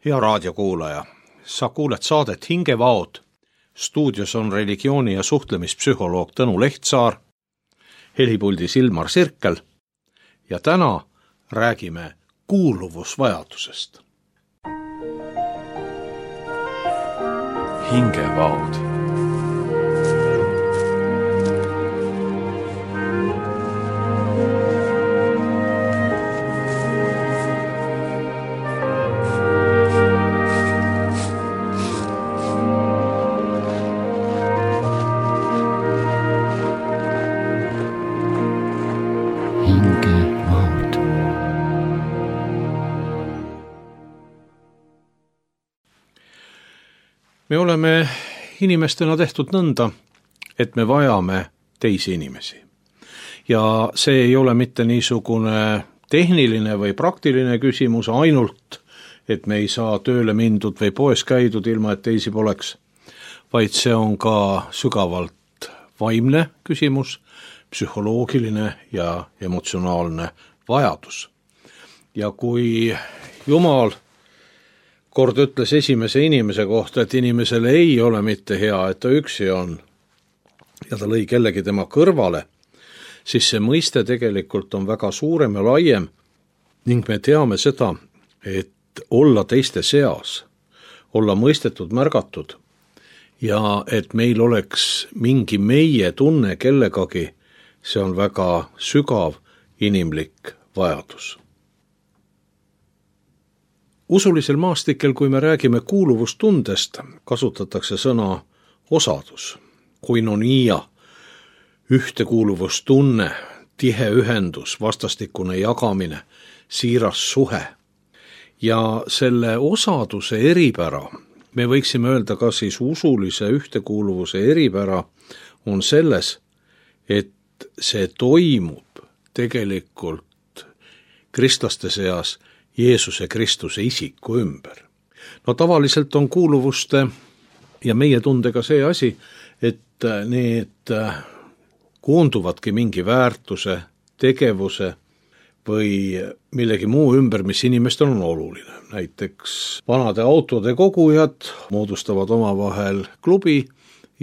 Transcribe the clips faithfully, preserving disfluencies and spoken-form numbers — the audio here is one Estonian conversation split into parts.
Hea raadiokuulaja, sa kuuled saadet Hingevaod. Stuudios on religiooni- ja suhtlemispsühholoog Tõnu Lehtsaar, helipuldis Ilmar Sirkel ja täna räägime kuuluvusvajadusest. Hingevaod. Me oleme inimestena tehtud nõnda, et me vajame teisi inimesi. Ja see ei ole mitte niisugune tehniline või praktiline küsimus ainult, et me ei saa tööle mindud või poes käidud ilma, et teisi poleks, vaid see on ka sügavalt vaimne küsimus, psühholoogiline ja emotsionaalne vajadus. Ja kui Jumal kord ütles esimese inimese kohta, et inimesele ei ole mitte hea, et ta üksi on, ja ta lõi kellegi tema kõrvale, siis see mõiste tegelikult on väga suurem ja laiem ning me teame seda, et olla teiste seas, olla mõistetud, märgatud ja et meil oleks mingi meie tunne kellegagi, see on väga sügav inimlik vajadus. Usulisel maastikel, kui me räägime kuuluvustundest, kasutatakse sõna osadus, koinonia, ühtekuuluvustunne, tihe ühendus, vastastikune jagamine, siiras suhe. Ja selle osaduse eripära, me võiksime öelda ka siis usulise ühtekuuluvuse eripära, on selles, et see toimub tegelikult kristlaste seas Jeesuse Kristuse isiku ümber. No tavaliselt on kuuluvuste ja meie tundega see asi, et need koonduvadki mingi väärtuse, tegevuse või millegi muu ümber, mis inimestel on oluline. Näiteks vanade autode kogujad moodustavad omavahel klubi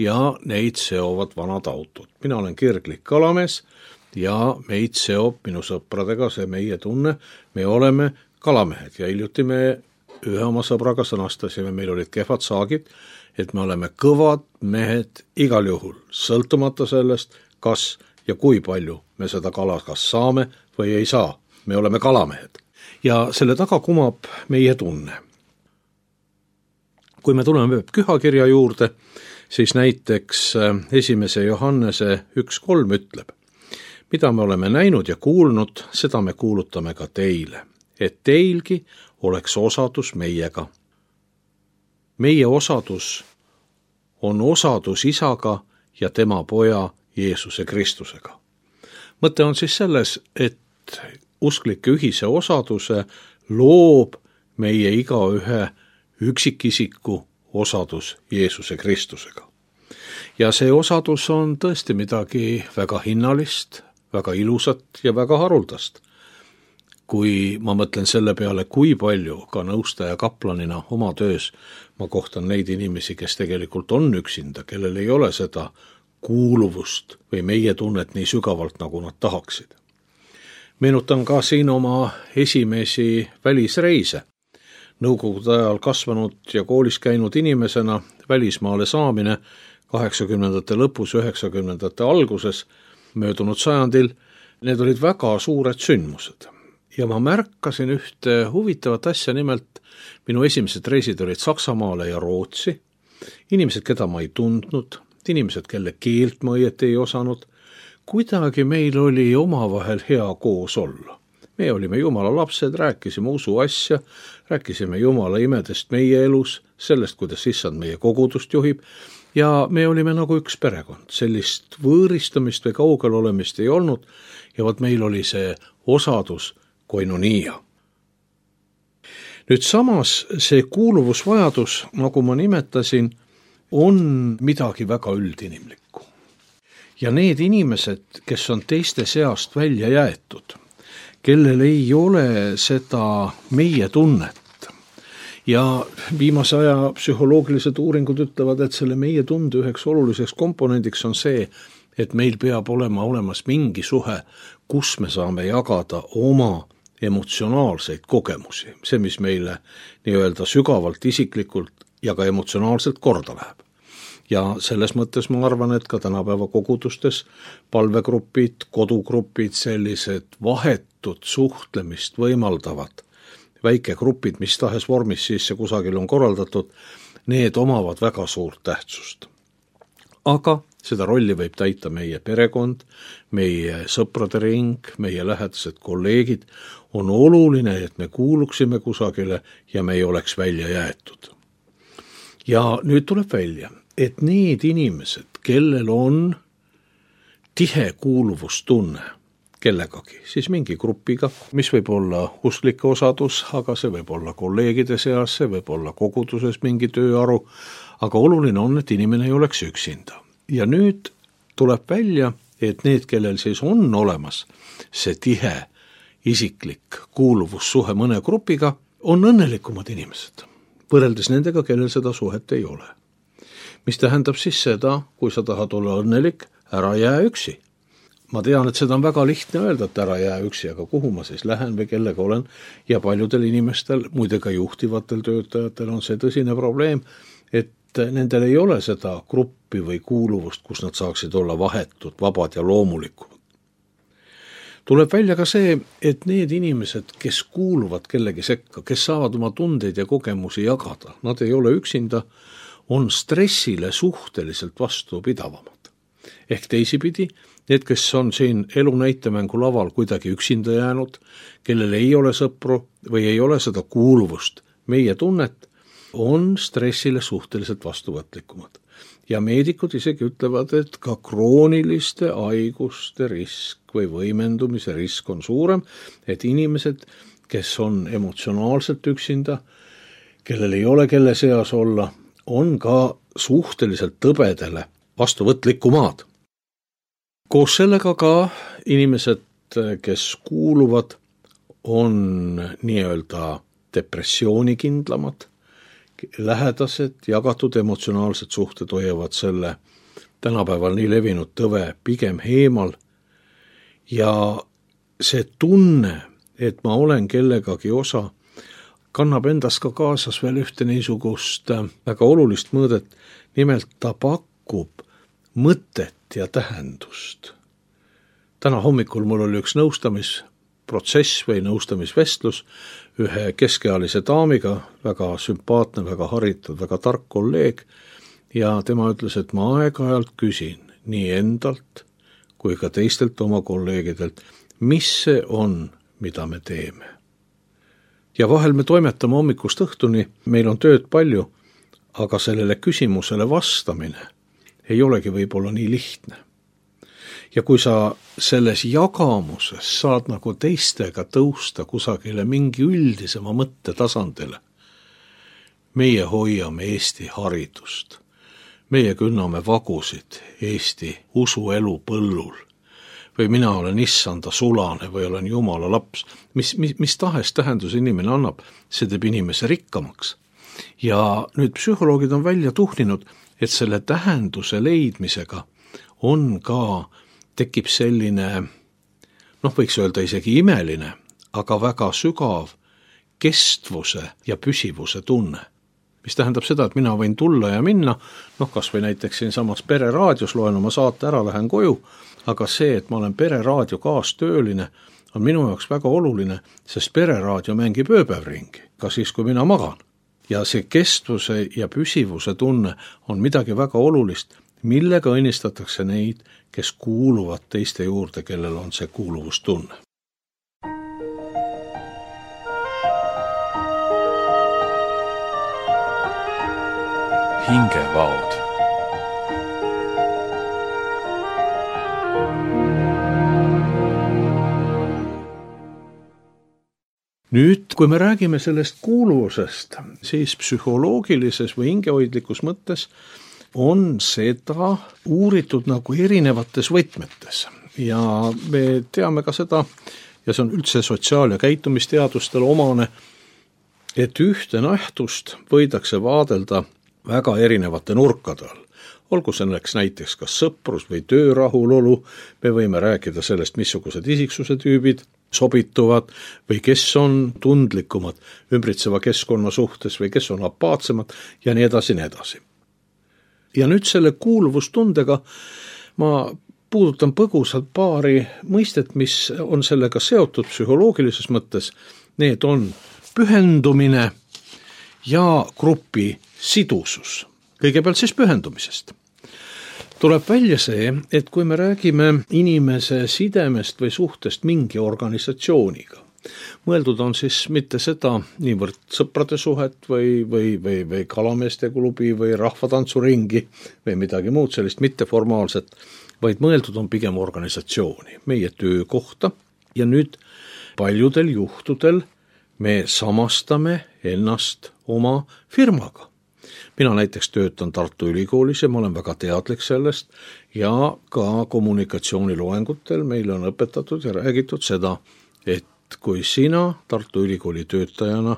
ja neid seovad vanad autod. Mina olen kirglik kalamees ja meid seob minu sõpradega see meie tunne, me oleme kalamehed ja hiljuti me ühe oma sõbraga sõnastasime, meil olid kehvad saagid, et me oleme kõvad mehed igal juhul, sõltumata sellest, kas ja kui palju me seda kala kas saame või ei saa. Me oleme kalamehed. Ja selle taga kumab meie tunne. Kui me tuleme pühakirja juurde, siis näiteks esimese Johannese üks kolm ütleb, mida me oleme näinud ja kuulnud, seda me kuulutame ka teile, et teilgi oleks osadus meiega. Meie osadus on osadus isaga ja tema poja Jeesuse Kristusega. Mõte on siis selles, et usklike ühise osaduse loob meie igaühe üksikisiku osadus Jeesuse Kristusega. Ja see osadus on tõesti midagi väga hinnalist, väga ilusat ja väga haruldast. Kui ma mõtlen selle peale, kui palju ka nõustaja kaplanina oma töös ma kohtan neid inimesi, kes tegelikult on üksinda, kellel ei ole seda kuuluvust või meie tunnet nii sügavalt, nagu nad tahaksid. Meenutan ka siin oma esimesi välisreise. Nõukogude ajal kasvanud ja koolis käinud inimesena välismaale saamine kaheksakümnendate lõpus, üheksakümnendate alguses möödunud sajandil, need olid väga suured sündmused. Ja ma märkasin ühte huvitavat asja, nimelt minu esimesed reisid olid Saksamaale ja Rootsi, inimesed, keda ma ei tundnud, inimesed, kelle keelt ma õieti ei osanud, kuidagi meil oli omavahel hea koos olla. Me olime Jumala lapsed, rääkisime usu asja, rääkisime Jumala imedest meie elus, sellest, kuidas issand meie kogudust juhib, ja me olime nagu üks perekond. Sellist võõristamist või kaugel olemist ei olnud, ja võt meil oli see osadus koinonia. Nüüd samas see kuuluvusvajadus, nagu ma nimetasin, on midagi väga üldinimlikku. Ja need inimesed, kes on teiste seast välja jäetud, kellel ei ole seda meie tunnet ja viimase aja psühholoogilised uuringud ütlevad, et selle meie tunde üheks oluliseks komponendiks on see, et meil peab olema olemas mingi suhe, kus me saame jagada oma emotsionaalseid kogemusi, see, mis meile nii-öelda sügavalt, isiklikult ja ka emotsionaalselt korda läheb. Ja selles mõttes ma arvan, et ka tänapäeva kogudustes palvegrupid, kodugrupid, sellised vahetud suhtlemist võimaldavad väikegrupid, mis tahes vormis siis see kusagil on korraldatud, need omavad väga suurt tähtsust. Aga seda rolli võib täita meie perekond, meie sõprade ring, meie lähedased kolleegid. On oluline, et me kuuluksime kusagile ja me ei oleks välja jäetud. Ja nüüd tuleb välja, et need inimesed, kellel on tihe kuuluvustunne kellegagi, siis mingi grupiga, mis võib olla usklike osadus, aga see võib olla kolleegide seas, see võib olla koguduses mingi tööaru, aga oluline on, et inimene ei oleks üksinda. Ja nüüd tuleb välja, et need, kellel siis on olemas see tihe isiklik kuuluvussuhe mõne grupiga, on õnnelikumad inimesed, võrreldes nendega, kellel seda suhet ei ole. Mis tähendab siis seda, kui sa tahad olla õnnelik, ära jää üksi. Ma tean, et seda on väga lihtne öelda, et ära jää üksi, aga kuhu ma siis lähen või kellega olen, ja paljudel inimestel, muide ka juhtivatel töötajatel on see tõsine probleem, et nendel ei ole seda gruppi või kuuluvust, kus nad saaksid olla vahetud, vabad ja loomulikud. Tuleb välja ka see, et need inimesed, kes kuuluvad kellegi sekka, kes saavad oma tundeid ja kogemusi jagada, nad ei ole üksinda, on stressile suhteliselt vastupidavamad. Ehk teisipidi, need, kes on siin elu näitemängu laval kuidagi üksinda jäänud, kellel ei ole sõpru või ei ole seda kuuluvust, meie tunnet, on stressile suhteliselt vastuvõtlikumad. Ja meedikud isegi ütlevad, et ka krooniliste haiguste risk või võimendumise risk on suurem, et inimesed, kes on emotsionaalselt üksinda, kellel ei ole kelle seas olla, on ka suhteliselt tõbedele vastuvõtlikumad. Koos sellega ka inimesed, kes kuuluvad, on nii-öelda depressioonikindlamad, lähedased, jagatud emotsionaalsed suhted hoiavad selle tänapäeval nii levinud tõve pigem heemal ja see tunne, et ma olen kellegagi osa, kannab endas ka kaasas veel ühte niisugust väga olulist mõõdet, nimelt ta pakub mõtet ja tähendust. Täna hommikul mul oli üks nõustamisprotsess või nõustamisvestlus ühe keskealise daamiga, väga sümpaatne, väga haritud, väga tark kolleeg, ja tema ütles, et ma aeg-ajalt küsin nii endalt kui ka teistelt oma kolleegidelt, mis see on, mida me teeme. Ja vahel me toimetame hommikust õhtuni, meil on tööd palju, aga sellele küsimusele vastamine ei olegi võib-olla nii lihtne. Ja kui sa selles jagamuses saad nagu teistega tõusta kusagile mingi üldisema mõtte tasandile, meie hoiame Eesti haridust, meie künname vagusid Eesti usuelu põllul, või mina olen issanda sulane või olen Jumala laps, mis, mis, mis tahes tähendus inimene annab, see teeb inimese rikkamaks. Ja nüüd psühholoogid on välja tuhninud, et selle tähenduse leidmisega on ka tekib selline, noh võiks öelda isegi imeline, aga väga sügav kestvuse ja püsivuse tunne. Mis tähendab seda, et mina võin tulla ja minna, noh kas või näiteks siin samas Pereraadios loen oma saate ära, lähen koju, aga see, et ma olen Pereraadio kaastööline, on minu jaoks väga oluline, sest Pereraadio mängib ööpäev ringi, ka siis, kui mina magan. Ja see kestvuse ja püsivuse tunne on midagi väga olulist, millega õnnistatakse neid, kes kuuluvad teiste juurde, kellel on see kuuluvustunne. Hingevaod. Nüüd, kui me räägime sellest kuuluvusest, siis psühholoogilises või hingehoidlikus mõttes on seda uuritud nagu erinevates võtmetes. Ja me teame ka seda, ja see on üldse sotsiaal- ja käitumisteadustel omane, et ühte nähtust võidakse vaadelda väga erinevate nurkade all. Olgu selleks näiteks kas sõprus või töörahulolu, me võime rääkida sellest, missugused isiksuse tüübid sobituvad või kes on tundlikumad ümbritseva keskkonna suhtes või kes on apaatsemad ja nii edasi, nii edasi. Ja nüüd selle kuuluvustundega ma puudutan põgusalt paari mõistet, mis on sellega seotud psühholoogilises mõttes. Need on pühendumine ja grupi sidusus. Kõigepealt siis pühendumisest. Tuleb välja see, et kui me räägime inimese sidemest või suhtest mingi organisatsiooniga, mõeldud on siis mitte seda niivõrd sõprade suhet või, või, või, või kalameeste klubi või rahvatantsuringi või midagi muud sellist mitteformaalset, vaid mõeldud on pigem organisatsiooni, meie töökohta ja nüüd paljudel juhtudel me samastame ennast oma firmaga. Mina näiteks töötan Tartu Ülikoolis ja ma olen väga teadlik sellest ja ka kommunikatsiooniloengutel meile on õpetatud ja räägitud seda, et kui sina Tartu Ülikooli töötajana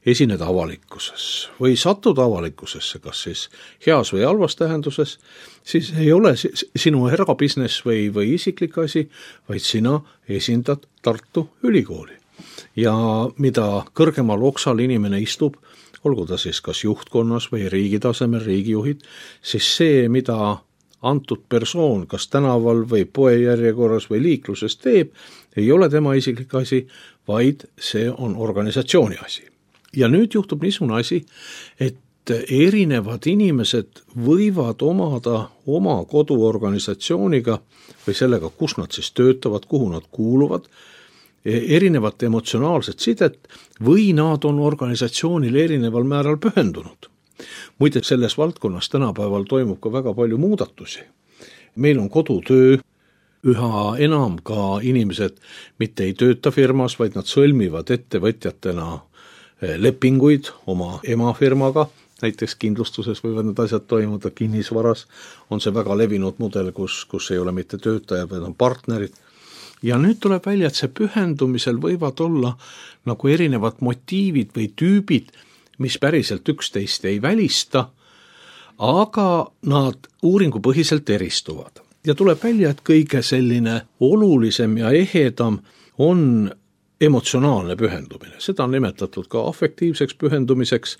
esined avalikkuses või satud avalikkusesse, kas siis heas või halvas tähenduses, siis ei ole sinu erabusiness või, või isiklik asi, vaid sina esindad Tartu Ülikooli. Ja mida kõrgemal oksal inimene istub, olgu ta siis kas juhtkonnas või riigi tasemel riigijuhid, siis see, mida antud persoon kas tänaval või poejärjekorras või liikluses teeb, ei ole tema isiklik asi, vaid see on organisatsiooni asi. Ja nüüd juhtub niisugune asi, et erinevad inimesed võivad omada oma koduorganisatsiooniga või sellega, kus nad siis töötavad, kuhu nad kuuluvad, erinevat emotsionaalset sidet või nad on organisatsioonile erineval määral pühendunud. Muide, selles valdkonnas tänapäeval toimub ka väga palju muudatusi. Meil on kodutöö, üha enam ka inimesed mitte ei tööta firmas, vaid nad sõlmivad ettevõtjatena lepinguid oma emafirmaga, näiteks kindlustuses võivad need asjad toimuda, kinnisvaras on see väga levinud mudel, kus, kus ei ole mitte töötajad, vaid on partnerid. Ja nüüd tuleb välja, et see pühendumisel võivad olla nagu erinevad motiivid või tüübid, mis päriselt üksteist ei välista, aga nad uuringupõhiselt eristuvad. Ja tuleb välja, et kõige selline olulisem ja ehedam on emotsionaalne pühendumine. Seda on nimetatud ka afektiivseks pühendumiseks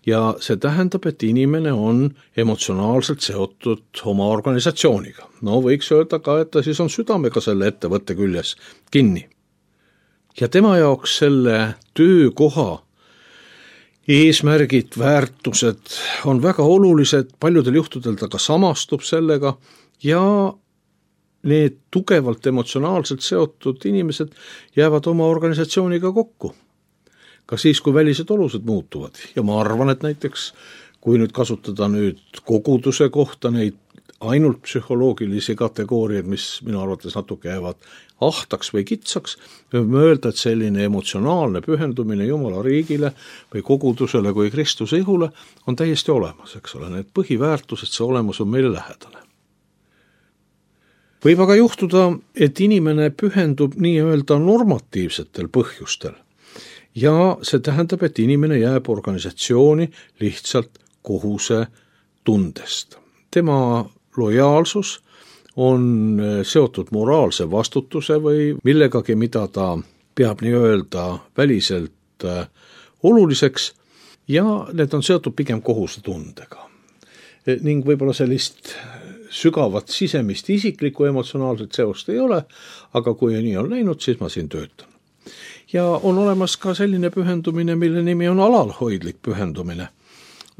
ja see tähendab, et inimene on emotsionaalselt seotud oma organisatsiooniga. No võiks öelda ka, et ta siis on südamega selle ettevõtte küljes kinni. Ja tema jaoks selle töökoha eesmärgid, väärtused on väga olulised, paljudel juhtudel ta ka samastub sellega ja need tugevalt emotsionaalselt seotud inimesed jäävad oma organisatsiooniga kokku. Ka siis, kui välised olused muutuvad. Ja ma arvan, et näiteks, kui nüüd kasutada nüüd koguduse kohta neid ainult psühholoogilisi kategooriaid, mis minu arvates natuke jäävad ahtaks või kitsaks, võime öelda, et selline emotsionaalne pühendumine Jumala riigile või kogudusele kui Kristuse ihule on täiesti olemas, eks ole. Need põhiväärtused, see olemus on meile lähedane. Võib aga juhtuda, et inimene pühendub nii-öelda normatiivsetel põhjustel. Ja see tähendab, et inimene jääb organisatsiooni lihtsalt kohuse tundest. Tema lojaalsus on seotud moraalse vastutuse või millegagi, mida ta peab nii-öelda väliselt oluliseks ja need on seotud pigem kohuse tundega. Ning võib-olla sellist sügavat sisemist isiklikku emotsionaalset seost ei ole, aga kui nii on läinud, siis ma siin töötan. Ja on olemas ka selline pühendumine, mille nimi on alalhoidlik pühendumine.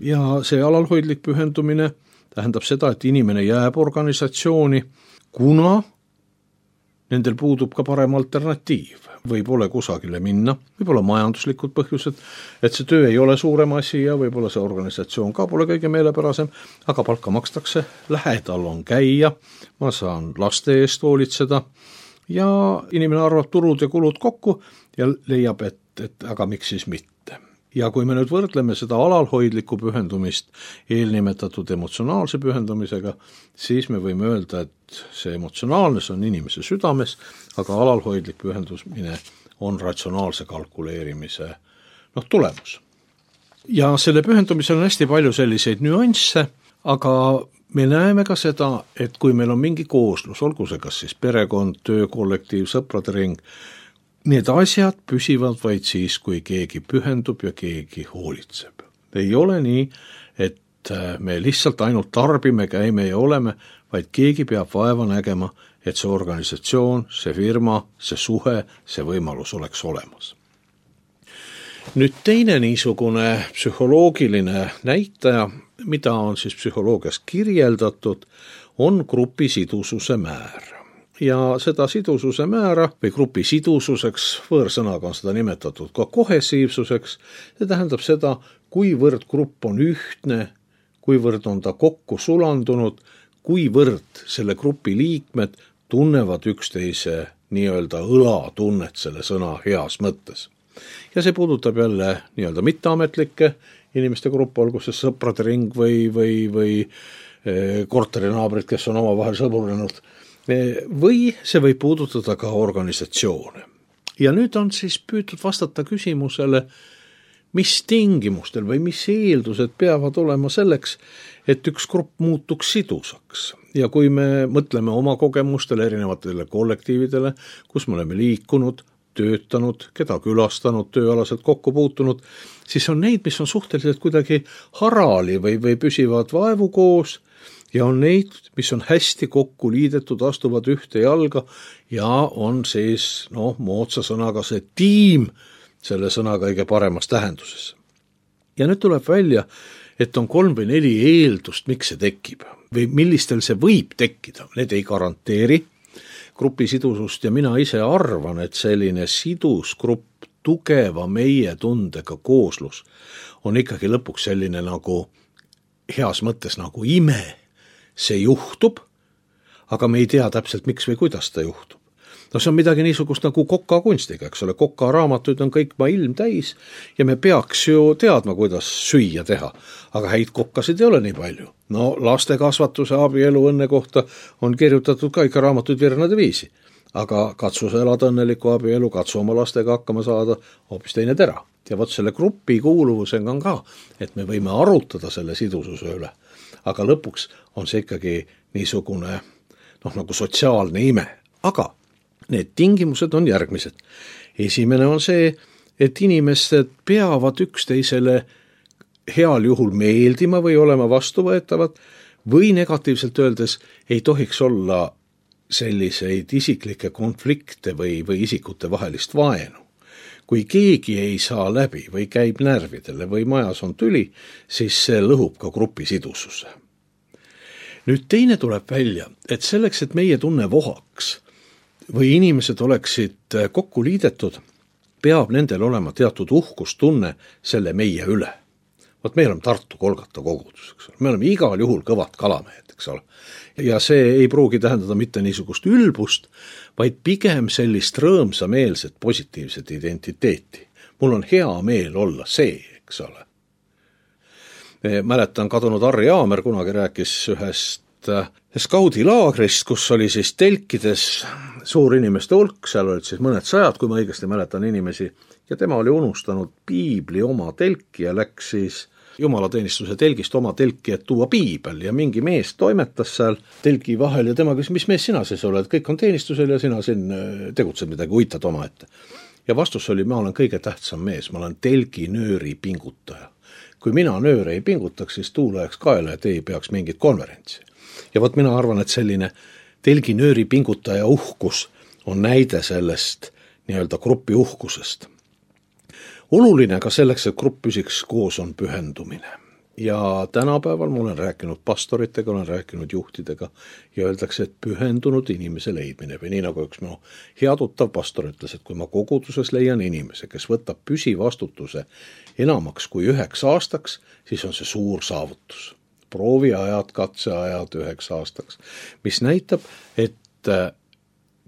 Ja see alalhoidlik pühendumine tähendab seda, et inimene jääb organisatsiooni, kuna nendel puudub ka parem alternatiiv. Või pole kusagile minna, võib-olla majanduslikud põhjused, et see töö ei ole suurem asi ja võib-olla see organisatsioon ka pole kõige meelepärasem, aga palka makstakse, lähedal on käia, ma saan laste eest hoolitseda ja inimene arvab turud ja kulud kokku ja leiab, et, et aga miks siis mitte. Ja kui me nüüd võrdleme seda alalhoidlikku pühendumist eelnimetatud emotsionaalse pühendumisega, siis me võime öelda, et see emotsionaalne on inimese südames, aga alalhoidlik pühendumine on ratsionaalse kalkuleerimise noh, tulemus. Ja selle pühendumisel on hästi palju selliseid nüansse, aga me näeme ka seda, et kui meil on mingi kooslus, olgu see kas siis perekond, töökollektiiv, sõprade ring, need asjad püsivad vaid siis, kui keegi pühendub ja keegi hoolitseb. Ei ole nii, et me lihtsalt ainult tarbime, käime ja oleme, vaid keegi peab vaeva nägema, et see organisatsioon, see firma, see suhe, see võimalus oleks olemas. Nüüd teine niisugune psühholoogiline näitaja, mida on siis psühholoogias kirjeldatud, on grupi sidususe määr. Ja seda sidususe määra või grupi sidususeks, võõrsõnaga on seda nimetatud ka kohesiivsuseks, see tähendab seda, kuivõrd grupp on ühtne, kuivõrd on ta kokku sulandunud, kuivõrd selle grupi liikmed tunnevad üksteise nii-öelda õlatunnet selle sõna heas mõttes. Ja see puudutab jälle nii-öelda mitteametlikke inimeste grupp, olgu see sõprade ring või, või, või korterinaabrid, kes on omavahel sõburenud. Või see võib puudutada ka organisatsioone. Ja nüüd on siis püütud vastata küsimusele, mis tingimustel või mis eeldused peavad olema selleks, et üks grupp muutuks sidusaks. Ja kui me mõtleme oma kogemustele, erinevatele kollektiividele, kus me oleme liikunud, töötanud, keda külastanud, tööalaselt kokku puutunud, siis on neid, mis on suhteliselt kuidagi harali või, või püsivad vaevu koos ja on neid, mis on hästi kokku liidetud, astuvad ühte jalga ja on siis, noh, moodsa sõnaga see tiim, selle sõna kõige paremas tähenduses. Ja nüüd tuleb välja, et on kolm või neli eeldust, miks see tekib või millistel see võib tekkida. Need ei garanteeri grupi sidusust ja mina ise arvan, et selline sidus grupp, tugeva meie tundega kooslus on ikkagi lõpuks selline nagu heas mõttes nagu ime. See juhtub, aga me ei tea täpselt miks või kuidas ta juhtub. No see on midagi niisugust nagu Koka kunstiga, eks ole, Koka raamatuid on kõik ma ilm täis ja me peaks ju teadma, kuidas süüa teha, aga häid kokkasid ei ole nii palju. No laste kasvatuse, abielu, õnne kohta on kirjutatud ka ikka raamatuid virnade viisi, aga katsu sa elada õnneliku abielu, katsu oma lastega hakkama saada, hoopis teine tera. Ja võt selle grupi kuuluvusega on ka, et me võime arutada selle sidususe üle, aga lõpuks on see ikkagi niisugune noh, nagu sotsiaalne ime, aga need tingimused on järgmised. Esimene on see, et inimesed peavad üksteisele heal juhul meeldima või olema vastuvõetavad või negatiivselt öeldes ei tohiks olla selliseid isiklikke konflikte või, või isikute vahelist vaenu. Kui keegi ei saa läbi või käib närvidele või majas on tüli, siis see lõhub ka grupi sidususe. Nüüd teine tuleb välja, et selleks, et meie tunne vohaks või inimesed oleksid kokku liidetud, peab nendel olema teatud uhkustunne selle meie üle. Vot meil on Tartu Kolgata kogudus, eks ole. Me oleme igal juhul kõvad kalamehed, eks ole. Ja see ei pruugi tähendada mitte niisugust ülbust, vaid pigem sellist rõõmsameelset positiivset identiteeti. Mul on hea meel olla see, eks ole. Mäletan kadunud Harri Aamer kunagi rääkis ühest skaudilaagrist, kus oli siis telkides suur inimeste hulk, seal olid siis mõned sajad, kui ma õigesti mäletan inimesi, ja tema oli unustanud piibli oma telki ja läks siis jumalateenistuse telgist oma telki, et tuua piibel ja mingi mees toimetas seal telgi vahel ja tema küsis, mis mees sina siis oled, kõik on teenistusel ja sina siin tegutsed midagi, uitad oma ette. Ja vastus oli, ma olen kõige tähtsam mees, ma olen telgi nööri pingutaja. Kui mina nööre ei pingutaks, siis tuul läheks kaela, et ei peaks mingit konverentsi. Ja võt mina arvan, et selline telgi nööri pingutaja uhkus on näide sellest nii-öelda grupi uhkusest. Oluline ka selleks, et grupp püsiks koos, on pühendumine. Ja tänapäeval ma olen rääkinud pastoritega, olen rääkinud juhtidega ja öeldakse, et pühendunud inimese leidmine või nii nagu üks minu hea tuttav pastor ütles, et kui ma koguduses leian inimese, kes võtab püsivastutuse enamaks kui üheks aastaks, siis on see suur saavutus. Prooviajad, katseajad üheks aastaks, mis näitab, et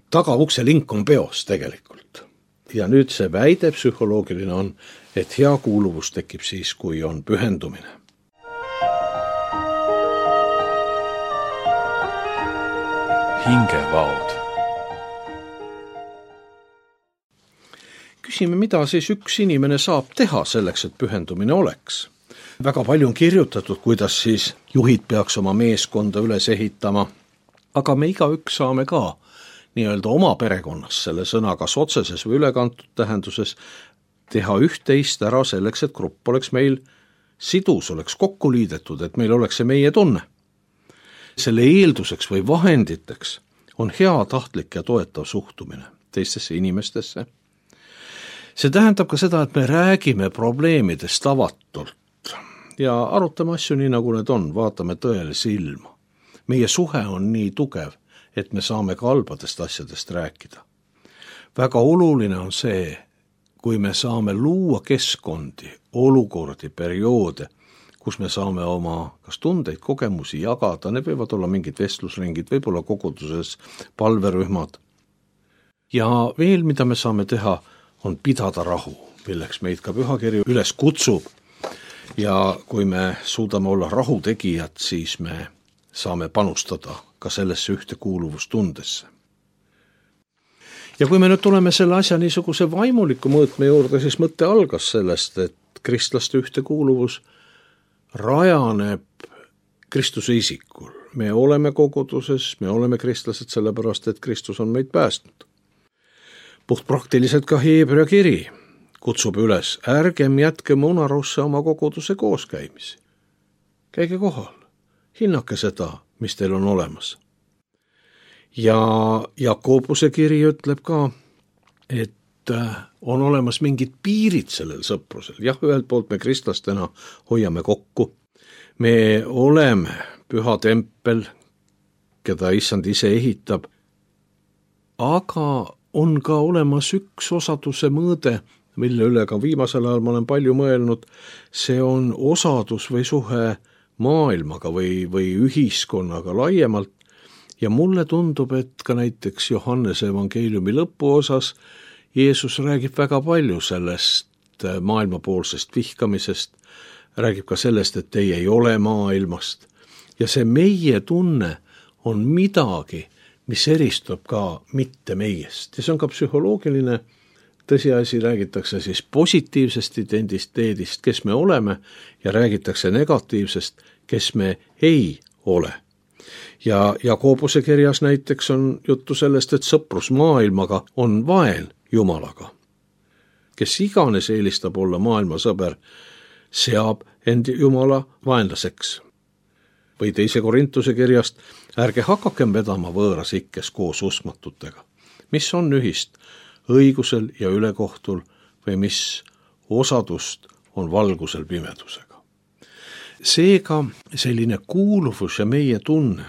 tagaukse link on peos tegelikult. Ja nüüd see väide psühholoogiline on, et hea kuuluvus tekib siis, kui on pühendumine. Hingevaod. küsime, mida siis üks inimene saab teha selleks, et pühendumine oleks. Väga palju on kirjutatud, kuidas siis juhid peaks oma meeskonda üles ehitama, aga me igaüks saame ka nii-öelda oma perekonnas selle sõna kas otseses või ülekantud tähenduses teha üht-teist ära selleks, et grupp oleks meil sidus, oleks kokku liidetud, et meil oleks see meie tunne. Selle eelduseks või vahenditeks on heatahtlik ja toetav suhtumine teistesse inimestesse. See tähendab ka seda, et me räägime probleemidest avatult ja arutame asju nii, nagu need on, vaatame tõele silma. Meie suhe on nii tugev, et me saame ka halbadest asjadest rääkida. Väga oluline on see, kui me saame luua keskkondi, olukordi, perioode, kus me saame oma kas tundeid, kogemusi jagada, need võivad olla mingid vestlusringid, võib-olla koguduses palverühmad. Ja veel, mida me saame teha, on pidada rahu, milleks meid ka pühakiri üles kutsub. Ja kui me suudame olla rahutegijad, siis me saame panustada ka sellesse ühtekuuluvustundesse. Ja kui me nüüd tuleme selle asja niisuguse vaimuliku mõõtme juurde, siis mõte algas sellest, et kristlaste ühtekuuluvus rajaneb Kristuse isikul. Me oleme koguduses, me oleme kristlased sellepärast, et Kristus on meid päästnud. Puht praktiliselt ka Heebrea kiri kutsub üles, ärgem jätkem unarusse oma koguduse kooskäimisi. Käige kohal, hinnake seda, mis teil on olemas. Ja Jakobuse kiri ütleb ka, et on olemas mingid piirid sellel sõprusel. Jah, ühelt poolt me kristlastena hoiame kokku. Me oleme püha tempel, keda issand ise ehitab, aga on ka olemas üks osaduse mõõde, mille üle ka viimasel ajal ma olen palju mõelnud. See on osadus või suhe maailmaga või, või ühiskonnaga laiemalt. Ja mulle tundub, et ka näiteks Johannese evangeeliumi lõpuosas Jeesus räägib väga palju sellest maailmapoolsest vihkamisest, räägib ka sellest, et teie ei ole maailmast. Ja see meie tunne on midagi, mis eristub ka mitte meiest. Ja see on ka psühholoogiline tõsiasi, räägitakse siis positiivsest identiteedist, kes me oleme, ja räägitakse negatiivsest, kes me ei ole. Ja Jakobuse kirjas näiteks on juttu sellest, et sõprus maailmaga on vaen Jumalaga. Kes iganes eelistab olla maailma sõber, seab end Jumala vaenlaseks. Või teise Korintuse kirjast, ärge hakakem vedama võõras ikkes koos uskmatutega. Mis on ühist õigusel ja ülekohtul või mis osadust on valgusel pimedusega. Seega selline kuuluvus ja meie tunne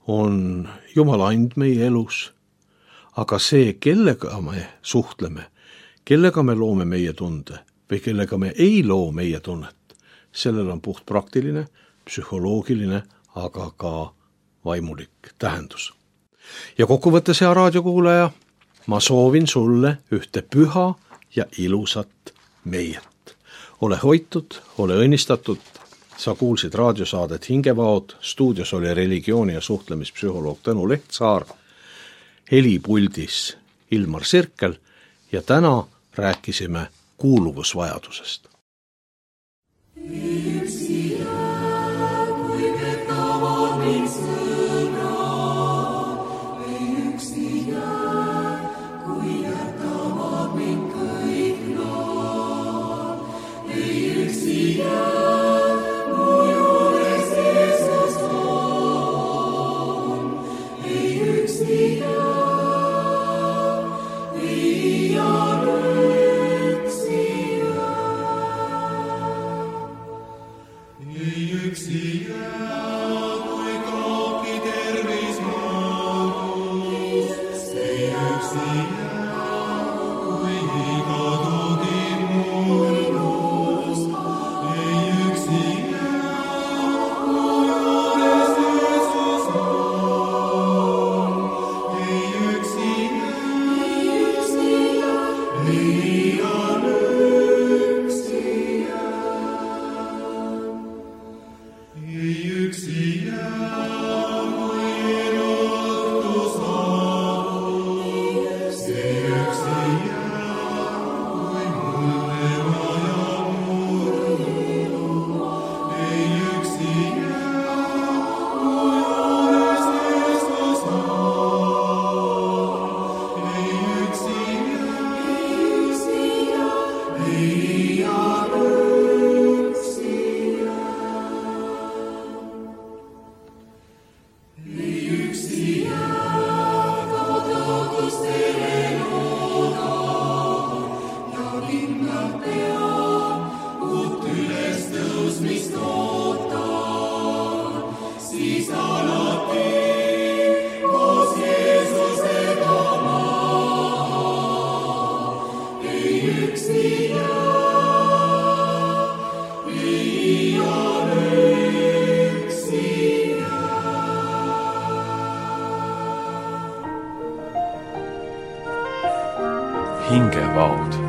on Jumala and meie elus, aga see, kellega me suhtleme, kellega me loome meie tunde või kellega me ei loo meie tunnet, sellel on puht praktiline, psühholoogiline, aga ka vaimulik tähendus. Ja kokkuvõttes, hea raadiokuulaja, ma soovin sulle ühte püha ja ilusat meiet. Ole hoitud, ole õnnistatud. Sa kuulsid raadiosaadet Hingevaod, stuudios oli religiooni- ja suhtlemispsühholoog Tõnu Lehtsaar, helipuldis Ilmar Sirkel ja täna rääkisime kuuluvusvajadusest. You vaod.